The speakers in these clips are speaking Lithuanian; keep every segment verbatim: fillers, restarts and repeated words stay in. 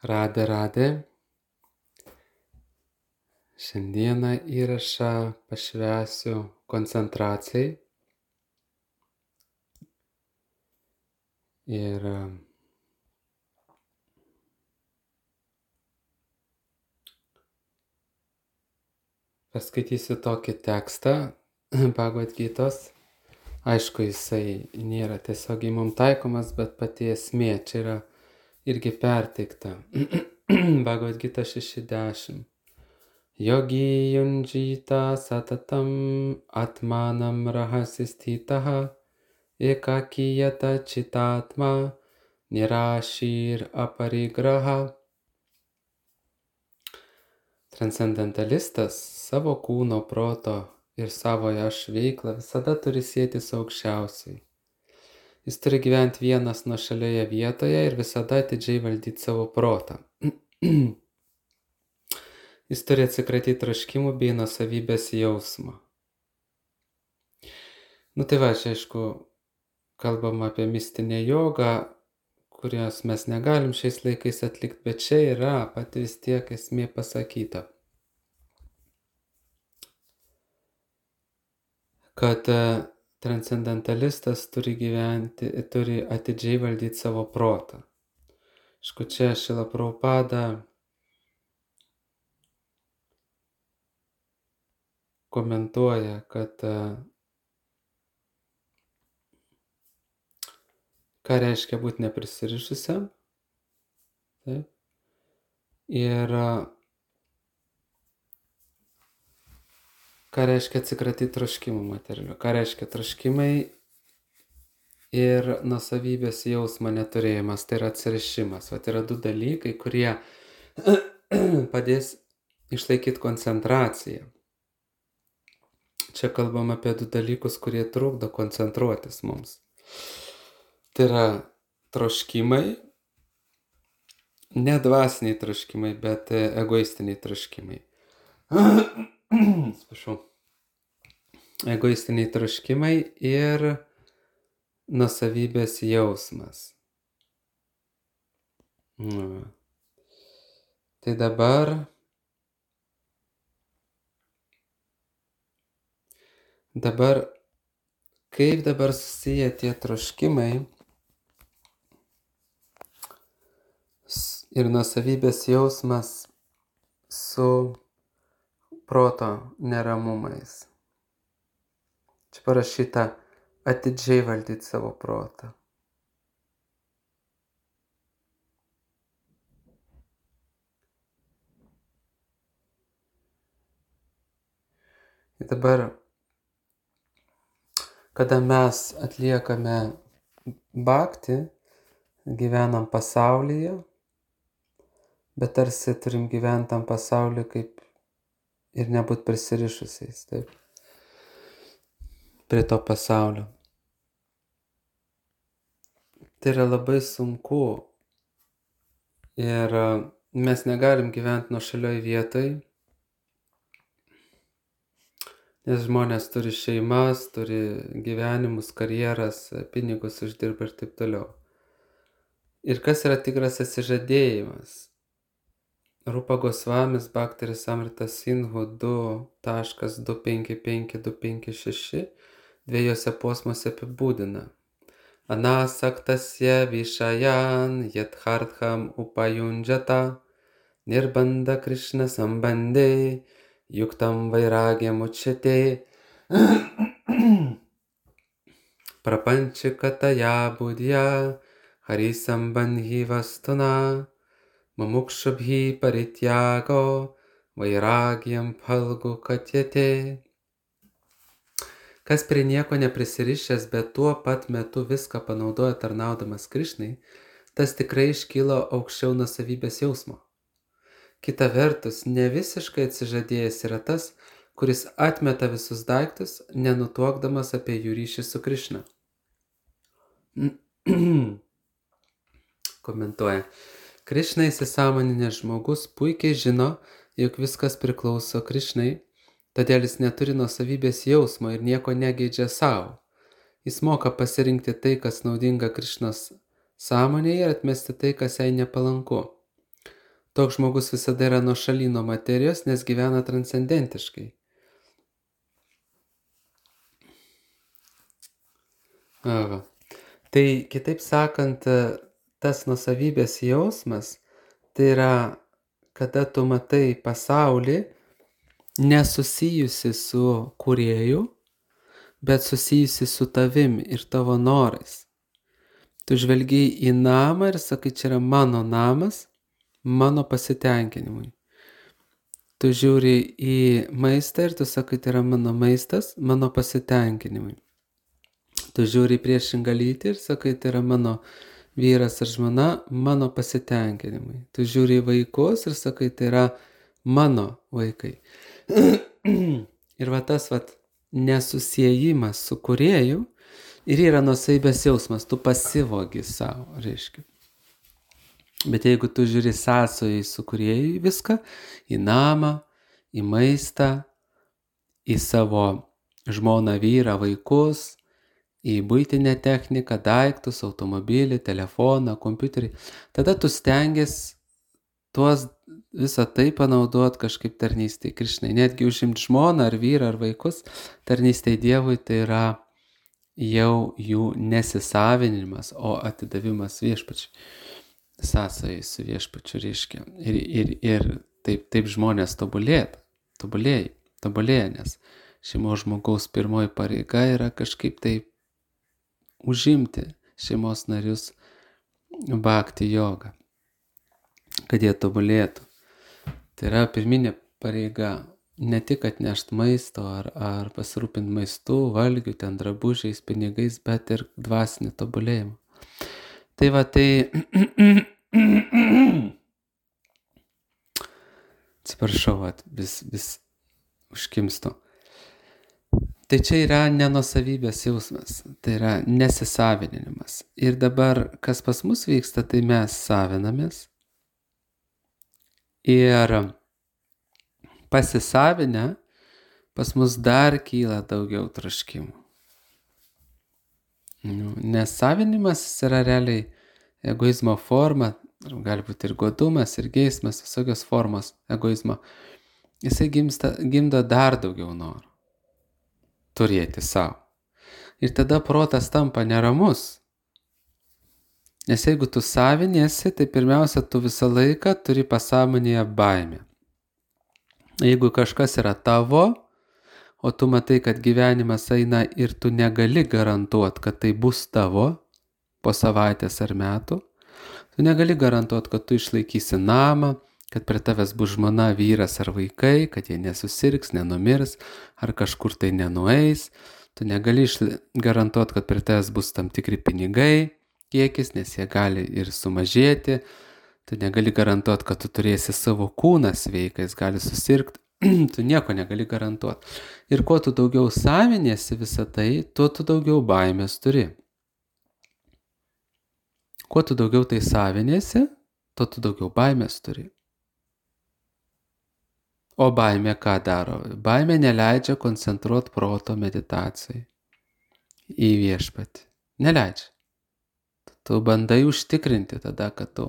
Radė, radė. Šiandieną įrašą pašvęsiu koncentracijai. Ir paskaitysiu tokį tekstą Bhagavad Gitos. Aišku, jisai nėra tiesiogiai mums taikomas, bet pati esmė čia yra irgi perteikta. Bhagavad Gita šeši dešimt. Yogi yunjita satatam atmanam rahasistitaha ekakiyata chitatma nirashir aparigraha. Transcendentalistas savo kūno, proto ir savojo aš veiklą visada turi sieti su aukščiausiai. Jis turi gyventi vienas nuošalioje vietoje ir visada atidžiai valdyti savo protą. Jis turi atsikratyti troškimų bei nuosavybės jausmo. Nu tai va, čia aišku, kalbam apie mistinę jogą, kurios mes negalim šiais laikais atlikti, bet čia yra pati vis tiek esmė pasakyta. Kad transcendentalistas turi gyventi, turi atidžiai valdyti savo protą. Aišku, čia Šrila Prabhupada komentuoja, kad ką reiškia būti neprisirišusiam. Taip. Ir ką reiškia atsikratyti troškimų materialių. Ką reiškia troškimai ir nuosavybės jausmo neturėjimas. Tai yra atsirišimas. O tai yra du dalykai, kurie padės išlaikyti koncentraciją. Čia kalbam apie du dalykus, kurie trukdo koncentruotis mums. Tai yra troškimai, ne dvasiniai troškimai, bet egoistiniai troškimai. Sprašau. Egoistiniai troškimai ir nuosavybės jausmas. Nu. Tai dabar dabar kaip dabar susiję tie troškimai ir nuosavybės jausmas su proto neramumais. Čia parašyta atidžiai valdyti savo protą. Ir dabar, kada mes atliekame bhakti, gyvenam pasaulyje, bet tarsi turim gyventi tam pasaulyje kaip ir nebūt prisirišusiais, taip, prie to pasaulio. Tai yra labai sunku ir mes negalim gyventi nuošalioj vietoj, nes žmonės turi šeimas, turi gyvenimus, karjeras, pinigus uždirba ir taip toliau. Ir kas yra tikras atsižadėjimas? Rupa Gosvamis Bhaktiris Amritas Sindhu du taškas du penki penki du penki šeši dviejose posmuose apibūdina. Anasaktasya vishayan yathartham upayunjata nirbanda Krishna sambandhe yuktam vairagyam uchyate prapanchikataya budhya harisambandhi vastuna Mamukshubhi parityago vairagyam phalgu katyate. Kas prie nieko neprisirišęs, bet tuo pat metu viską panaudoja tarnaudamas Krishnai, tas tikrai iškylo aukščiau nuosavybės jausmo. Kita vertus, ne visiškai atsižadėjęs yra tas, kuris atmeta visus daiktus, nenutuokdamas apie jų ryšį su Krishna. Komentuoja. Krishna įsisąmoninęs žmogus puikiai žino, jog viskas priklauso Krishnai, todėl jis neturi nuosavybės jausmo ir nieko negeidžia savo. Jis moka pasirinkti tai, kas naudinga Krishnos sąmonėje ir atmesti tai, kas jai nepalanku. Toks žmogus visada yra nuošaly nuo materijos, nes gyvena transcendentiškai. Va. Tai kitaip sakant, tas nuosavybės jausmas, tai yra, kada tu matai pasaulį nesusijusi su kūrėju, bet susijusi su tavim ir tavo norais. Tu žvelgiai į namą ir sakai, čia yra mano namas, mano pasitenkinimui. Tu žiūri į maistą ir tu sakai, tai yra mano maistas, mano pasitenkinimui. Tu žiūri į priešingą lytį ir sakai, tai yra mano vyras ar žmona, mano pasitenkinimui. Tu žiūri į vaikus ir sakai, tai yra mano vaikai. Ir va tas va nesusiejimas su kūrėju ir yra nuosavybės jausmas, tu pasivogi savo, reiškia. Bet jeigu tu žiūri sąsojai su kūrėju viską, į namą, į maistą, į savo žmoną, vyrą, vaikus, į buitinę techniką, daiktus, automobilį, telefoną, kompiuterį, tada tu stengiasi tuos visą tai panaudot kažkaip tarnystėj Krišnai. Netgi užimti žmoną ar vyrą ar vaikus, tarnystėj Dievui tai yra jau jų nesisavinimas, o atidavimas viešpačiui. Sąsajai su viešpačiu reiškia. Ir, ir, ir taip, taip žmonės tobulėt, tobulėja, tobulėja, nes šeimos žmogaus pirmoji pareiga yra kažkaip taip užimti šeimos narius bhakti jogą, kad jie tobulėtų. Tai yra pirminė pareiga ne tik atnešti maisto ar, ar pasirūpinti maistu, valgiu, ten drabužiais, pinigais, bet ir dvasinį tobulėjimą. Tai va, tai atsiprašau, vis, vis užkimstu. Tai čia yra nenuosavybės jausmas, tai yra nesisavinimas. Ir dabar, kas pas mus vyksta, tai mes savinamės. Ir pasisavinę, pas mus dar kyla daugiau troškimų. Nes savinimas yra realiai egoizmo forma, gali būti ir godumas, ir geismas, visokios formos egoizmo. Jisai gimsta, gimdo dar daugiau norų turėti savo. Ir tada protas tampa neramus. Nes jeigu tu saviniesi, tai pirmiausia, tu visą laiką turi pasąmonėje baimę. Jeigu kažkas yra tavo, o tu matai, kad gyvenimas eina ir tu negali garantuoti, kad tai bus tavo po savaitės ar metų, tu negali garantuoti, kad tu išlaikysi namą, kad prie tavęs bus žmona, vyras ar vaikai, kad jie nesusirgs, nenumirs, ar kažkur tai nenueis. Tu negali garantuoti, kad prie tavęs bus tam tikri pinigai, kiekis, nes jie gali ir sumažėti. Tu negali garantuoti, kad tu turėsi savo kūną sveiką, jis gali susirgti. Tu nieko negali garantuoti. Ir kuo tu daugiau saviniesi visą tai, tuo tu daugiau baimės turi. Kuo tu daugiau tai saviniesi, tuo tu daugiau baimės turi. O baimė ką daro? Baimė neleidžia koncentruoti proto meditacijai į viešpatį. Neleidžia. Tu bandai užtikrinti tada, kad tu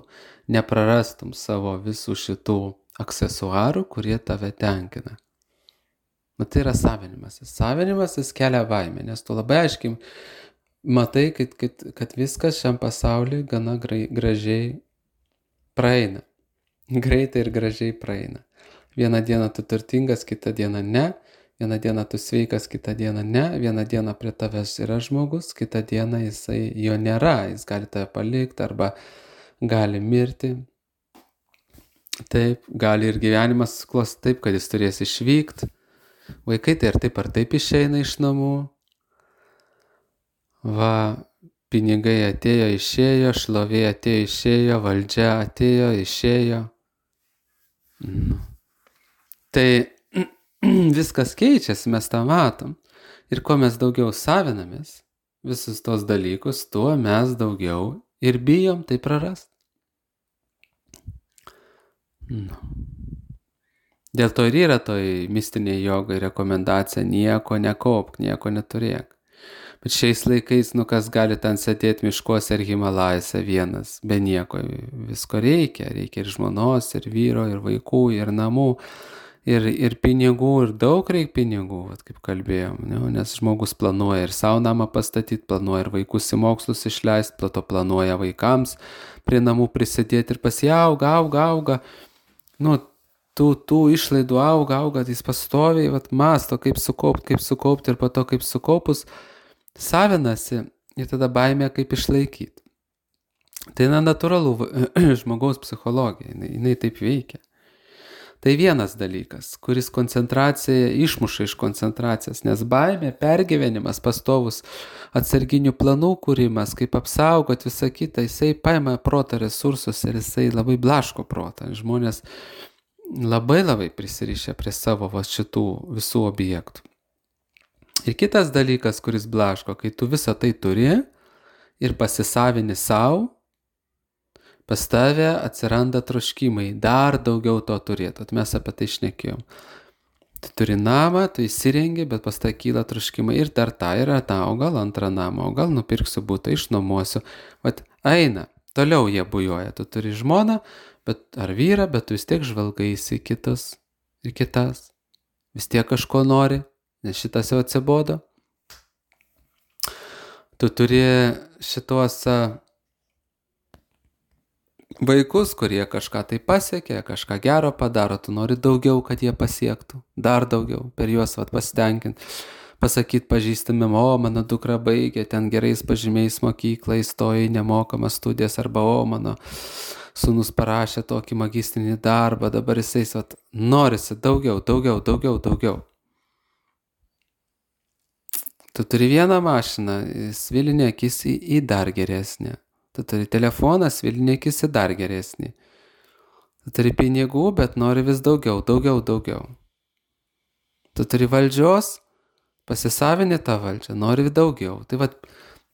neprarastum savo visų šitų aksesuarų, kurie tave tenkina. Nu, tai yra savinimasis. Savinimasis kelia baimę, nes tu labai aiškiai matai, kad, kad, kad viskas šiam pasauliu gana gražiai praeina. Greitai ir gražiai praeina. Vieną dieną tu turtingas, kitą dieną ne. Vieną dieną tu sveikas, kitą dieną ne. Vieną dieną prie tavęs yra žmogus, kitą dieną jisai jo nėra. Jis gali tave palikti arba gali mirti. Taip, gali ir gyvenimas suklos taip, kad jis turės išvykti. Vaikai tai ar taip ar taip išeina iš namų. Va, pinigai atėjo, išėjo, šlovė atėjo, išėjo, valdžia atėjo, išėjo. Nu. Tai viskas keičiasi, mes tą matom. Ir kuo mes daugiau savinamės visus tos dalykus, tuo mes daugiau ir bijom tai prarast. Nu. Dėl to ir yra toj mistinėje jogai rekomendacija nieko nekaupk, nieko neturėk. Bet šiais laikais, nu kas gali ten sėdėti miškuose ir Himalajose vienas, be nieko, visko reikia. Reikia ir žmonos, ir vyro, ir vaikų, ir namų, ir, ir pinigų, ir daug reikia pinigų, vat, kaip kalbėjom, ne? Nes žmogus planuoja ir savo namą pastatyti, planuoja ir vaikus į mokslus išleisti, plato planuoja vaikams prie namų prisidėti ir pas jį auga, auga, auga. Nu, tų, tų išlaidų auga, auga, jis pastoviai, vat, masto, kaip sukaupti, kaip sukaupti ir po to, kaip sukaupus, savinasi ir tada baimė, kaip išlaikyti. Tai na, natūralu, žmogaus psichologija, jinai, jinai taip veikia. Tai vienas dalykas, kuris koncentraciją išmuša iš koncentracijos, nes baimė, pergyvenimas, pastovus atsarginių planų kūrimas, kaip apsaugot visą kitą, jisai paima proto resursus ir jisai labai blaško protą. Žmonės labai labai prisirišę prie savo va, šitų visų objektų. Ir kitas dalykas, kuris blaško, kai tu visą tai turi ir pasisavini savo, pas tave atsiranda troškimai, dar daugiau to turėtų. Mes apie tai šnekėjom. Tu turi namą, tu įsirengi, bet pas tai kyla troškimai ir dar tą ir tą, o gal antrą namą, o gal nupirksiu butą, išnuomosiu. Vat eina, toliau jie bujoja. Tu turi žmoną, bet, ar vyrą, bet tu vis tiek žvalgaisi kitus ir kitas. Vis tiek kažko nori, nes šitas jau atsibodo. Tu turi šitos vaikus, kurie kažką tai pasiekė, kažką gero padaro, tu nori daugiau, kad jie pasiektų, dar daugiau, per juos vat, pasitenkinti, pasakyti pažįstamim, o mano dukra baigė, ten gerais pažymiais mokyklą, įstojo į nemokamas studijas, arba o mano sūnus parašė tokį magistrinį darbą, dabar jisai vat, norisi daugiau, daugiau, daugiau, daugiau. Tu turi vieną mašiną, svilinė akis į, į dar geresnę. Tu turi telefoną, svilinė akis į dar geresnį. Tu turi pinigų, bet nori vis daugiau, daugiau, daugiau. Tu turi valdžios, pasisavini tą valdžią, nori vis daugiau. Tai vat,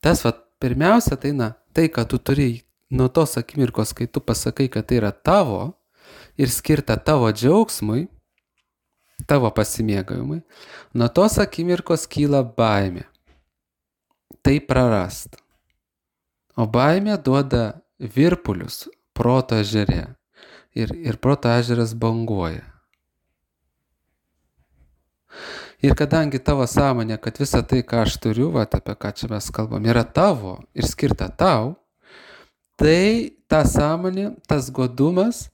tas vat, pirmiausia, tai na, tai, kad tu turi nuo tos akimirkos, kai tu pasakai, kad tai yra tavo ir skirta tavo džiaugsmui, tavo pasimėgavimui, nuo tos akimirkos kyla baimė. Tai prarast. O baimė duoda virpulius proto ežere ir, ir proto ežeras banguoja. Ir kadangi tavo sąmonė, kad visa tai, ką aš turiu, va, apie ką čia mes kalbam, yra tavo ir skirta tau, tai ta sąmonė, tas godumas,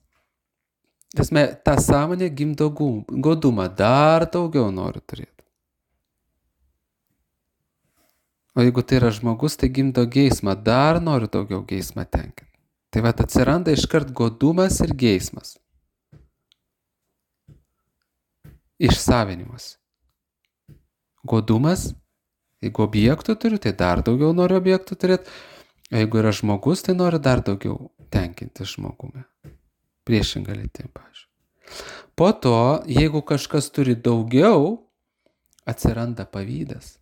tasme, ta sąmonė gimdo godumą, dar daugiau noriu turėti. O jeigu tai yra žmogus, tai gimdo geismą, dar noriu daugiau geismą tenkinti. Tai vat atsiranda iškart godumas ir geismas. Išsavinimas. Godumas, jeigu objektų turiu, tai dar daugiau noriu objektų turėti. O jeigu yra žmogus, tai noriu dar daugiau tenkinti žmogumi. Priešinga lytim, pavyzdžiui. Po to, jeigu kažkas turi daugiau, atsiranda pavydas.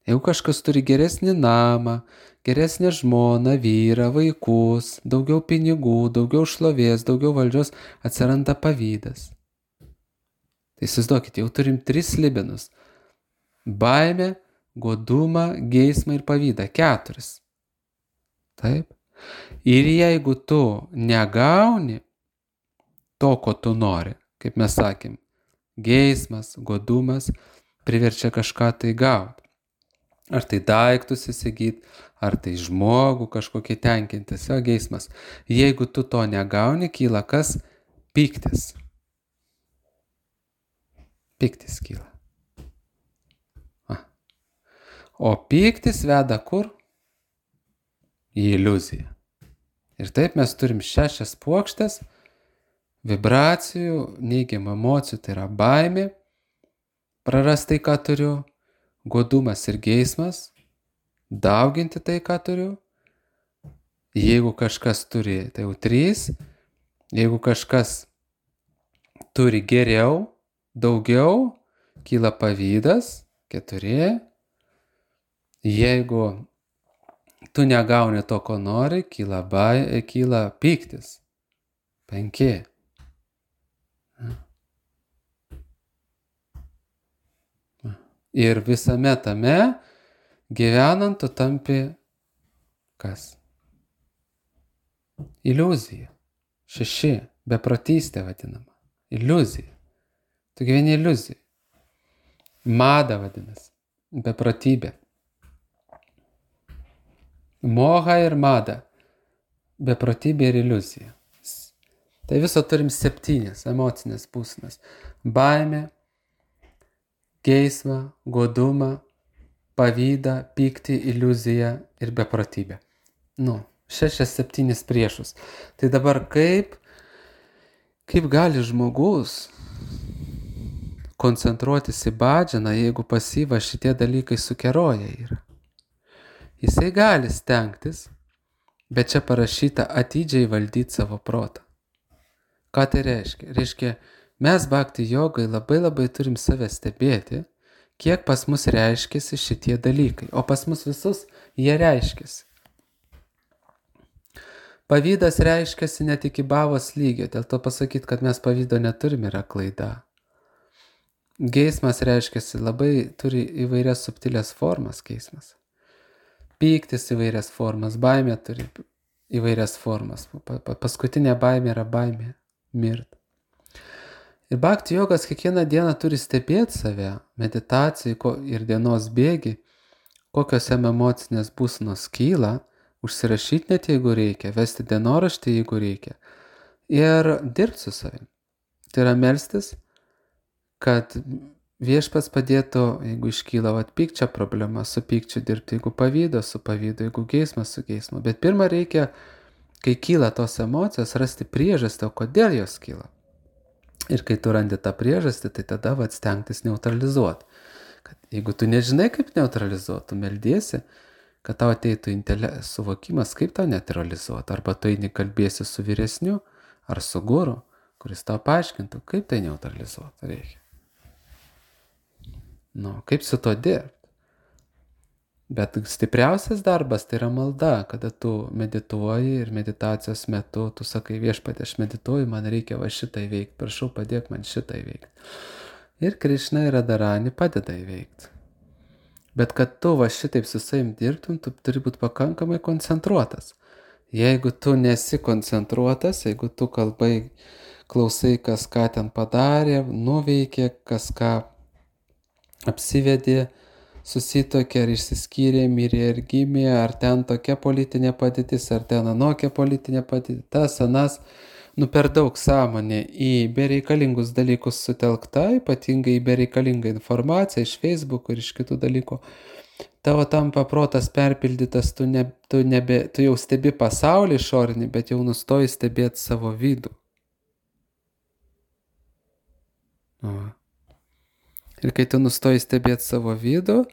Jeigu kažkas turi geresnį namą, geresnę žmoną, vyrą, vaikus, daugiau pinigų, daugiau šlovės, daugiau valdžios, atsiranda pavydas. Tai įsivaizduokit, jau turim tris slibinus. Baimę, godumą, geismą ir pavydą. Keturis. Taip. Ir jeigu tu negauni to, ko tu nori, kaip mes sakėm, geismas, godumas priverčia kažką tai gauti. Ar tai daiktus įsigyti, ar tai žmogų kažkokį tenkintis, jo geismas. Jeigu tu to negauni, kyla kas? Pyktis. Pyktis kyla. A. O pyktis veda kur? Į iliuziją. Ir taip mes turim šešias puokštes vibracijų, neigiamų emocijų, tai yra baimė, prarastai, ką turiu, godumas ir geismas, dauginti tai, ką turiu. Jeigu kažkas turi, tai jau trys. Jeigu kažkas turi geriau, daugiau, kyla pavydas, keturi. Jeigu tu negauni to, ko nori, kyla, bai, kyla pyktis, penki. Ir visame tame Gyvenant tu tampi kas? Iliuzija. Šeši. Beprotystė vadinama. Iliuzija. Tu gyveni iliuzijai. Mada vadinasi. Beprotybė. Moha ir mada. Beprotybė ir iliuzija. Tai viso turim septynės emocinės būsenas. Baimė, geismą, godumą, pavydą, pyktį, iliuziją ir beprotybę. Nu, šešias septynis priešus. Tai dabar kaip, kaip gali žmogus koncentruotis į bhadžaną, jeigu pas jį va šitie dalykai sukeroja yra. Jisai gali stengtis, bet čia parašyta atidžiai valdyti savo protą. Ką tai reiškia? Reiškia, mes bhakti jogai labai labai turim save stebėti, kiek pas mus reiškiasi šitie dalykai. O pas mus visus jie reiškiasi. Pavydas reiškiasi net iki bhavos lygio, dėl to pasakyti, kad mes pavydo neturim, yra klaida. Geismas reiškiasi labai, turi įvairias subtilės formas geismas. Pyktis įvairias formas, baimė turi įvairias formas. Paskutinė baimė yra baimė mirt. Ir bhakti jogas kiekvieną dieną turi stebėti save, meditacijai ir dienos bėgi, kokios jam emocinės būsenos kyla, užsirašyti net jeigu reikia, vesti dienoraštį jeigu reikia ir dirbti su savim. Tai yra melstis, kad viešpats padėtų, jeigu iškyla vat, pykčio problema, su pykčiu dirbti, jeigu pavydo, su pavydu, jeigu geismas, su geismu. Bet pirmą reikia, kai kyla tos emocijos, rasti priežastį, o kodėl jos kyla. Ir kai tu randi tą priežastį, tai tada vat, stengtis neutralizuoti. Kad jeigu tu nežinai, kaip neutralizuoti, tu meldiesi, kad tau ateitų intele... suvokimas, kaip tau neutralizuoti. Arba tu eini kalbėsi su vyresniu, ar su guru, kuris tau paaiškintų, kaip tai neutralizuoti reikia. Nu, kaip su to dirbti? Bet stipriausias darbas tai yra malda, kada tu medituoji ir meditacijos metu tu sakai, viešpatie, aš medituoju, man reikia va šitą įveikti, prašau padėk man šitą įveikti. Ir Krišna ir Radharani padeda įveikti. Bet kad tu va šitaip su savim dirbtum, tu turi būti pakankamai koncentruotas. Jeigu tu nesi koncentruotas, jeigu tu kalbai, klausai, kas ką ten padarė, nuveikė, kas ką apsivedė, susitokė ar išsiskyrė, mirė ir gimė, ar ten tokia politinė padėtis, ar ten anokia politinė padėtis, tas, anas, nu per daug sąmonė į bereikalingus dalykus sutelkta, ypatingai į bereikalingą informaciją iš Facebook'o ir iš kitų dalykų. Tavo tampa protas perpildytas, tu, ne, tu, nebe, tu jau stebi pasaulį išorinį, bet jau nustoji stebėti savo vidų. O. Ir kai tu nustoji stebėti savo vidų,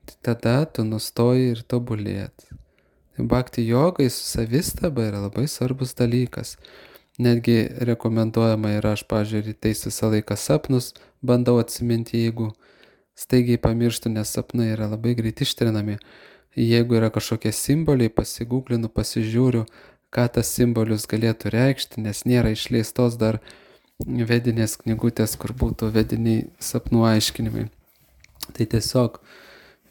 tai tada tu nustoji ir tobulėti. Tai bhakti jogai su savistaba yra labai svarbus dalykas. Netgi rekomenduojama yra, aš pažiūrėjau, rytais visą laiką sapnus bandau atsiminti, jeigu staigiai pamirštų, nes sapnai yra labai greit ištrinami. Jeigu yra kažkokie simboliai, pasigūglinu, pasižiūriu, ką tas simbolius galėtų reikšti, nes nėra išleistos dar vedinės knygutės, kur būtų vediniai sapnų aiškinimai. Tai tiesiog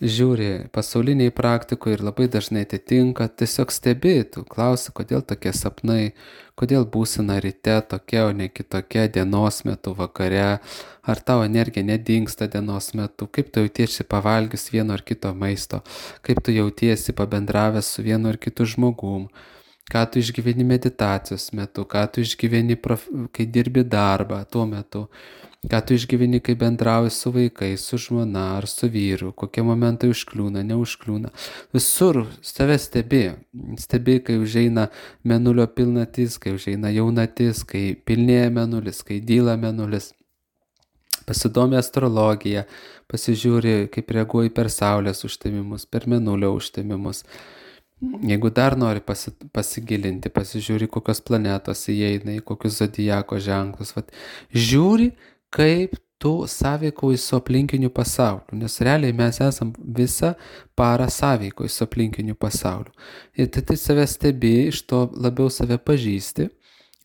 žiūri pasauliniai praktikoje ir labai dažnai atitinka, tiesiog stebėtų, klausi, kodėl tokie sapnai, kodėl būsena ryte tokia, o ne kitokia, dienos metu, vakare, ar tavo energija nedingsta dienos metu, kaip tu jautiesi pavalgius vieno ar kito maisto, kaip tu jautiesi pabendravęs su vienu ar kitu žmogum, ką tu išgyveni meditacijos metu, ką tu išgyveni, prof... kai dirbi darbą tuo metu, ką tu išgyveni, kai bendrauji su vaikais, su žmona ar su vyru, kokie momentai užkliūna, neužkliūna. Visur save stebi, stebi, kai užeina mėnulio pilnatis, kai užeina jaunatis, kai pilnėja mėnulis, kai dyla mėnulis. Pasidomi astrologiją, pasižiūri, kaip reaguoji per saulės užtemimus, per mėnulio užtemimus. Jeigu dar nori pasi, pasigilinti, pasižiūri, kokios planetos įeina, į kokius zodiako ženklus. Vat, žiūri, kaip tu sąveikauji su aplinkiniu pasauliu, nes realiai mes esam visą parą sąveikauji su aplinkiniu pasauliu. Ir tai, tai save stebi, iš to labiau save pažįsti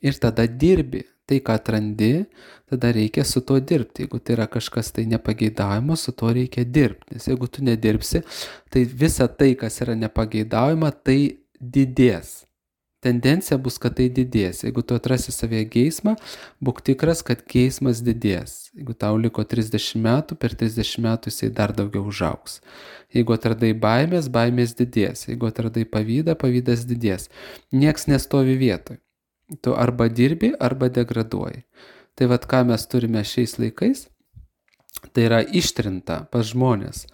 ir tada dirbi. tai, ką atrandi, tada reikia su tuo dirbti. Jeigu tai yra kažkas tai nepageidaujama, su tuo reikia dirbti. Nes jeigu tu nedirbsi, tai visa tai, kas yra nepageidaujama, tai didės. Tendencija bus, kad tai didės. Jeigu tu atrasi savyje geismą, būk tikras, kad geismas didės. Jeigu tau liko trisdešimt metų, per trisdešimt metų jisai dar daugiau užaugs. Jeigu atradai baimės, baimės didės. Jeigu atradai pavydą, pavydas didės. Nieks nestovi vietoj. Tu arba dirbi, arba degraduoji. Tai vat ką mes turime šiais laikais, tai yra ištrinta pas žmonės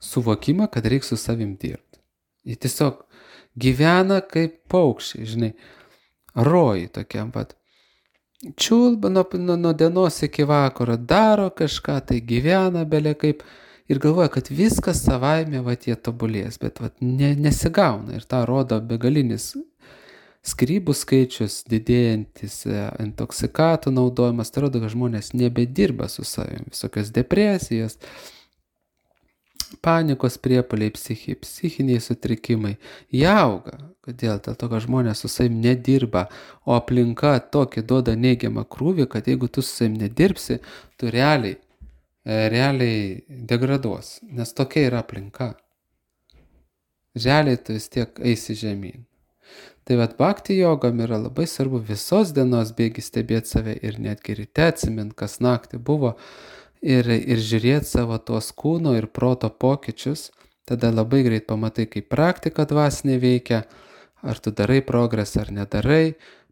suvokimą, kad reikia su savim dirbti. Jie tiesiog gyvena kaip paukščiai, žinai, rojai tokiam pat. Čiulba nuo, nuo, nuo dienos iki vakaro, daro kažką, tai gyvena belė kaip ir galvoja, kad viskas savaime vat jie tobulės, bet vat ne, nesigauna ir tą rodo begalinis skyrybų skaičius, didėjantis intoksikatų naudojimas, tai rodo, kad žmonės nebedirba su savim, visokios depresijos, panikos priepuoliai, psichi, psichiniai sutrikimai, jie auga. Kodėl? Dėl to, kad žmonės su savim nedirba, o aplinka tokį duoda neigiamą krūvį, kad jeigu tu su savim nedirbsi, tu realiai, realiai degraduos, nes tokia yra aplinka. Realiai tu vis tiek eisi žemyn. Tai vat bhakti jogam yra labai svarbu visos dienos bėgi stebėti save ir netgi ryte atsimint, kas naktį buvo, ir, ir žiūrėti savo tuos kūno ir proto pokyčius, tada labai greit pamatai, kaip praktika dvasinė veikia, ar tu darai progresą ar nedarai.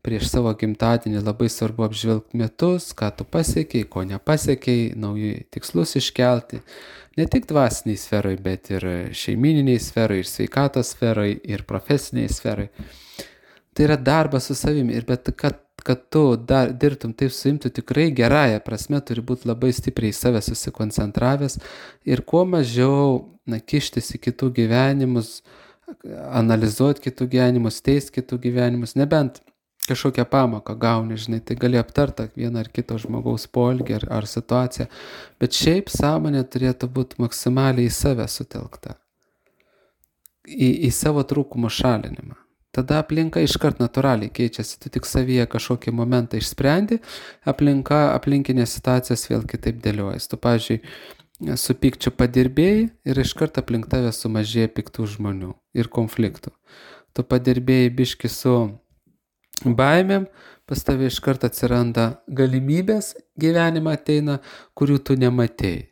Prieš savo gimtadienį labai svarbu apžvelgti metus, ką tu pasiekiai, ko nepasiekiai, naujus tikslus iškelti. Ne tik dvasiniai sferai, bet ir šeimininiai sferai, ir sveikatos sferai, ir profesiniai sferai. Tai yra darbas su savimi, ir bet kad, kad tu dar dirbtum taip su savimi, tu tikrai gerąją prasme turi būti labai stipriai į save susikoncentravęs ir kuo mažiau na, kištis į kitų gyvenimus, analizuoti kitų gyvenimus, teisti kitų gyvenimus, nebent kažkokią pamoką gauni, žinai, tai gali aptarti vieną ar kito žmogaus poelgį ar, ar situaciją, bet šiaip sąmonė turėtų būti maksimaliai į save sutelkta, į, į savo trūkumų šalinimą. Tada aplinka iškart natūraliai keičiasi, tu tik savyje kažkokį momentą išsprendi, aplinka, aplinkinės situacijas vėl kitaip dėliojas. Tu, pavyzdžiui, su pykčiu padirbėjai ir iškart aplink tave sumažėja piktų žmonių ir konfliktų. Tu padirbėjai biški su baimėm, pas tave iškart atsiranda galimybės, gyvenimą ateina, kurių tu nematėjai.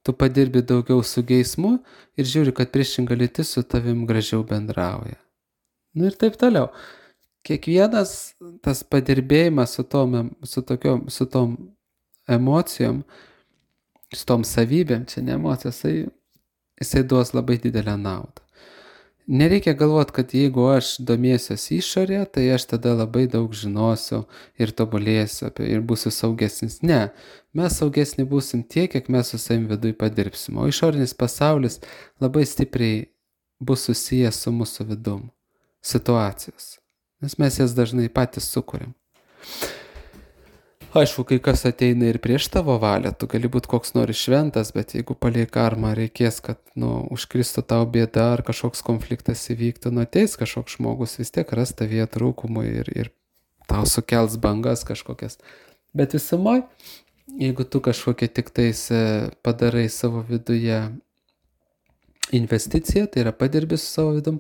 Tu padirbi daugiau su geismu ir žiūri, kad priešinga lytis su tavim gražiau bendrauja. Nu ir taip toliau. Kiekvienas tas padirbėjimas su tom, su tokiom, su tom emocijom, su tom savybėm, čia ne emocijos, jisai, jisai duos labai didelę naudą. Nereikia galvoti, kad jeigu aš domėsiuosi išorė, tai aš tada labai daug žinosiu ir tobulėsiu ir būsiu saugesnis. Ne, mes saugesni būsim tiek, kiek mes su savim viduj padirbsim. O išorinis pasaulis labai stipriai bus susijęs su mūsų vidum, situacijos. Nes mes jas dažnai patys sukuriam. Aišku, kai kas ateina ir prieš tavo valią, tu gali būti koks nori šventas, bet jeigu palei karmą reikės, kad nu, užkristų tau bėda ar kažkoks konfliktas įvyktų, nu ateis kažkoks žmogus, vis tiek ras tavyje trūkumų ir, ir tau sukels bangas kažkokias. Bet visumoj, jeigu tu kažkokia tik tais padarai savo viduje investiciją, tai yra padirbi su savo vidum,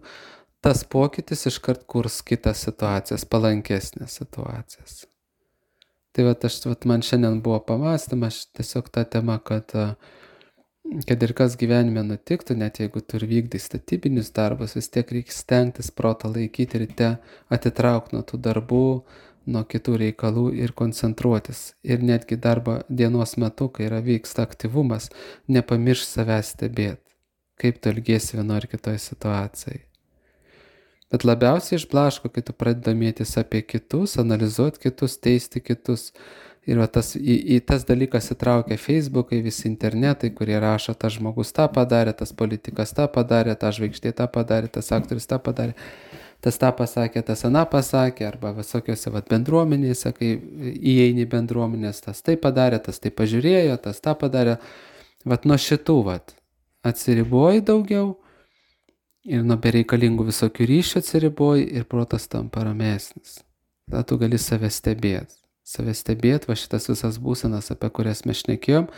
tas pokytis iškart kurs kitas situacijas, palankesnės situacijas. Tai vat, aš, vat, man šiandien buvo pamastymas tiesiog tą temą, kad, kad ir kas gyvenime nutiktų, net jeigu tu ir vykdai statybinius darbus, vis tiek reikia stengtis protą laikyti ryte, atitraukti nuo tų darbų, nuo kitų reikalų ir koncentruotis. Ir netgi darbo dienos metu, kai yra vyksta aktyvumas, nepamiršk savęs stebėti, kaip tu elgiesi vienoje ar kitoje situacijoje. Bet labiausiai išblaško, kai tu pradedi domėtis apie kitus, analizuoti kitus, teisti kitus. Ir va, tas, į, į tas dalykas įtraukia Facebookai, visi internetai, kurie rašo, tas žmogus tą padarė, tas politikas tą padarė, tas žvaigždė tą padarė, tas aktorius tą padarė, tas tą pasakė, tas aną pasakė, arba visokiose va, bendruomenėse, kai įeini bendruomenės, tas tai padarė, tas tai pažiūrėjo, tas tą padarė. Vat nuo šitų vat, atsiriboji daugiau, ir nuo bereikalingų visokių ryšių atsiriboji ir protas tampa ramesnis. Tada tu gali save stebėti. Save stebėti, va šitas visas būsenas, apie kurias mes šnekėjom,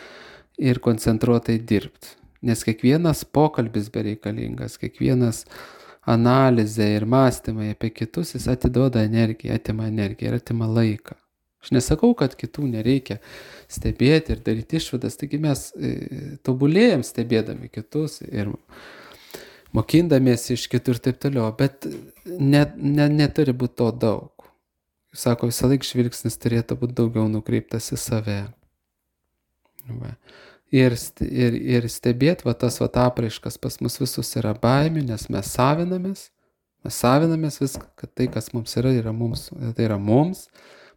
ir koncentruotai dirbti. Nes kiekvienas pokalbis bereikalingas, kiekvienas analizė ir mąstymai apie kitus, jis atiduoda energiją, atima energiją ir atima laiką. Aš nesakau, kad kitų nereikia stebėti ir daryti išvadas, taigi mes e, tobulėjam stebėdami kitus ir mokindamiesi iš kitų ir taip toliau, bet ne, ne, neturi būti to daug. Sako, visą laiką žvilgsnis turėtų būti daugiau nukreiptas į save. Va. Ir, ir, ir stebėti, va tas va apraiškas pas mus visus yra baimė, nes mes savinamės, mes savinamės viską, kad tai, kas mums yra, yra mums, tai yra mums.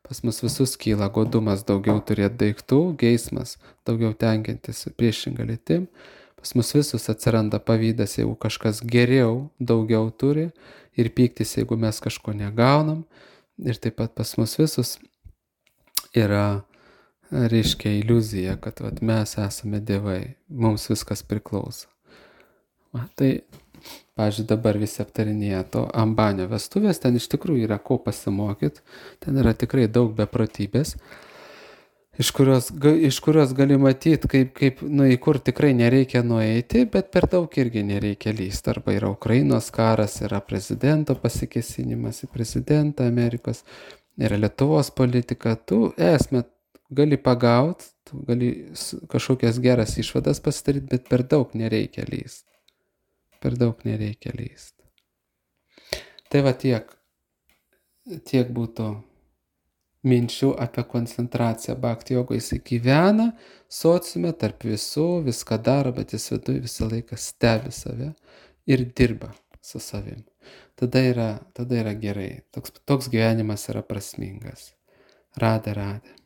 Pas mus visus kyla godumas daugiau turėti daiktų, geismas daugiau tenkintis priešingą lytim. Pas mus visus atsiranda pavydas, jeigu kažkas geriau, daugiau turi, ir pyktis, jeigu mes kažko negaunam. Ir taip pat pas mus visus yra, reiškia, iliuzija, kad vat, mes esame dievai, mums viskas priklauso. Va, tai, pavyzdžiui, dabar visi aptarinėja to Ambanio vestuvės, ten iš tikrųjų yra ko pasimokyti, ten yra tikrai daug beprotybės, iš kurios, iš kurios gali matyti, kaip, kaip, nu, į kur tikrai nereikia nueiti, bet per daug irgi nereikia lysti. Arba yra Ukrainos karas, yra prezidento pasikėsinimas į prezidentą Amerikos, yra Lietuvos politika. Tu esmę gali pagauti, tu gali kažkokias geras išvadas pasidaryti, bet per daug nereikia lysti. Per daug nereikia lysti. Tai va tiek, tiek būtų minčių apie koncentraciją. Bhakti jogo jis gyvena sociume tarp visų, viską daro, bet jis viduje visą laiką stebi save ir dirba su savim. Tada yra, tada yra gerai. Toks, toks gyvenimas yra prasmingas. Radhe, radhe.